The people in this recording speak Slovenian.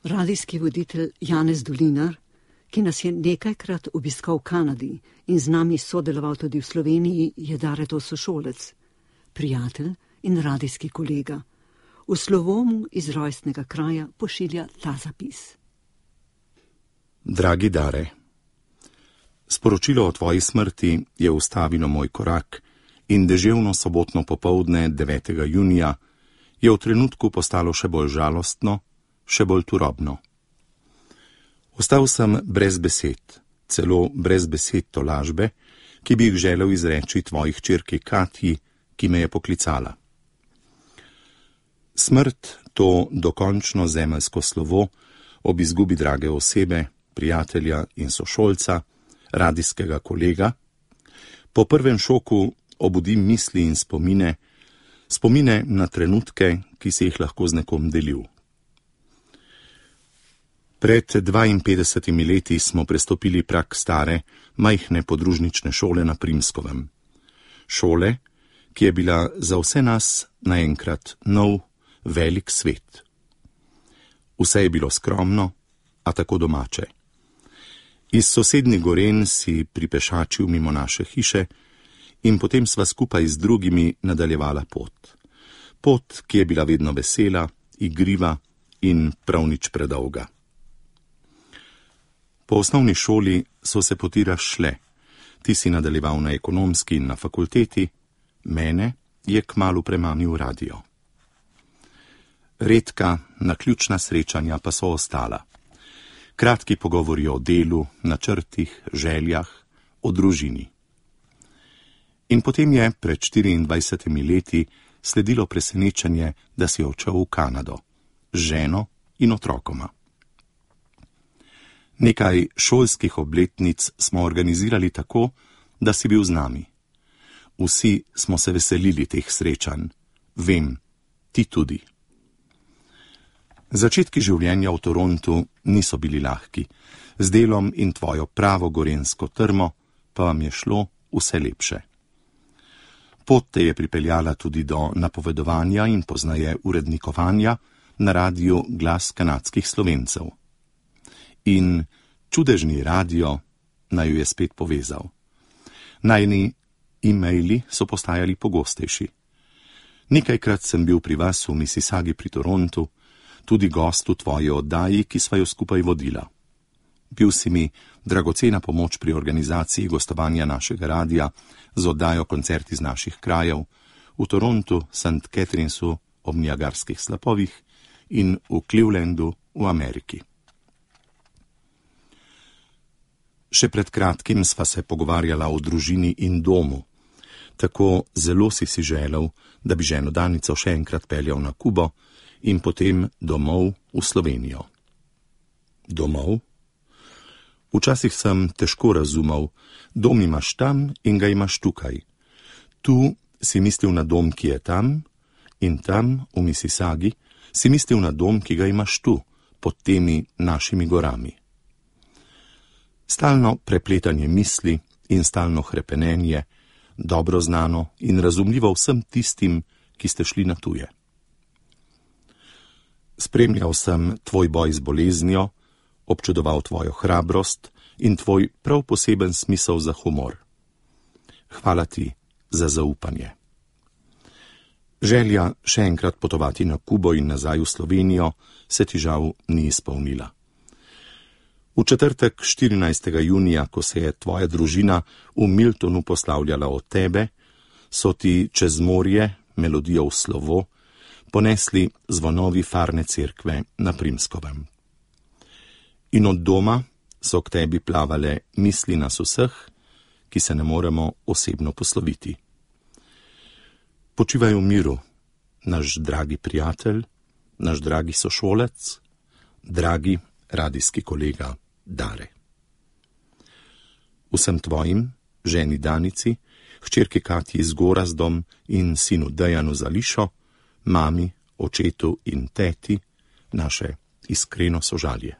Radijski voditelj Janez Dolinar, ki nas je nekajkrat obiskal v Kanadi in z nami sodeloval tudi v Sloveniji, je Daretov sošolec, prijatelj in radijski kolega. V slovomu iz rojstnega kraja pošilja ta zapis. Dragi Dare, sporočilo o tvoji smrti je ustavilo moj korak in deževno sobotno popoldne 9. junija je v trenutku postalo še bolj žalostno, še bolj turobno. Ostal sem brez besed, celo brez besed tolažbe, ki bi jih želel izreči tvoji hčerki Katji, ki me je poklicala. Smrt, to dokončno zemeljsko slovo, ob izgubi drage osebe, prijatelja in sošolca, radijskega kolega, po prvem šoku obudi misli in spomine na trenutke, ki si jih lahko z nekom delil. Pred 52 leti smo prestopili prag stare, majhne podružnične šole na Primskovem. Šole, ki je bila za vse nas naenkrat nov, velik svet. Vse je bilo skromno, a tako domače. Iz sosednjih Gorenj si pripešačil mimo naše hiše in potem sva skupaj z drugimi nadaljevala pot. Pot, ki je bila vedno vesela, igriva in prav nič predolga. Po osnovni šoli so se poti razšle. Ti si nadaljeval na ekonomski in na fakulteti, mene je kmalu premamil radio. Redka, naključna srečanja pa so ostala. Kratki pogovori o delu, načrtih, željah, o družini. In potem je pred 24 leti sledilo presenečenje, da si odšel v Kanado, z ženo in otrokoma. Nekaj šolskih obletnic smo organizirali tako, da si bil z nami. Vsi smo se veselili teh srečanj. Vem, ti tudi. Začetki življenja v Torontu niso bili lahki. Z delom in tvojo pravo gorenjsko trmo pa vam je šlo vse lepše. Pot te je pripeljala tudi do napovedovanja in poznaje urednikovanja na radiju Glas kanadskih Slovencev. In čudežni radio naj jo je spet povezal. Najni e-maili so postajali pogostejši. Nekajkrat sem bil pri vas v Mississaugi pri Torontu, tudi gost v tvoji oddaji, ki sva jo skupaj vodila. Bil si mi dragocena pomoč pri organizaciji gostovanja našega radia z oddajo Koncert iz naših krajev v Torontu, St. Catherinesu ob Niagarskih slapovih in v Clevelandu v Ameriki. Še pred kratkim sva se pogovarjala o družini in domu. Tako zelo si želel, da bi ženo Danico še enkrat peljal na Kubo in potem domov v Slovenijo. Domov? Včasih sem težko razumel, dom imaš tam in ga imaš tukaj. Tu si mislil na dom, ki je tam, in tam, v Mississaugi, si mislil na dom, ki ga imaš tu, pod temi našimi gorami. Stalno prepletanje misli in stalno hrepenenje, dobro znano in razumljivo vsem tistim, ki ste šli na tuje. Spremljal sem tvoj boj z boleznijo, občudoval tvojo hrabrost in tvoj prav poseben smisel za humor. Hvala ti za zaupanje. Želja še enkrat potovati na Kubo in nazaj v Slovenijo se ti žal ni izpolnila. V četrtek 14. junija, ko se je tvoja družina v Miltonu poslavljala od tebe, so ti čez morje, melodijo v slovo, ponesli zvonovi farne cerkve na Primskovem. In od doma so k tebi plavale misli nas vseh, ki se ne moremo osebno posloviti. Počivaj v miru, naš dragi prijatelj, naš dragi sošolec, dragi radijski kolega Dare. Vsem tvojim, ženi Danici, hčerki Katji z Gorazdom in sinu Dejanu Zališo, mami, očetu in teti, naše iskreno sožalje.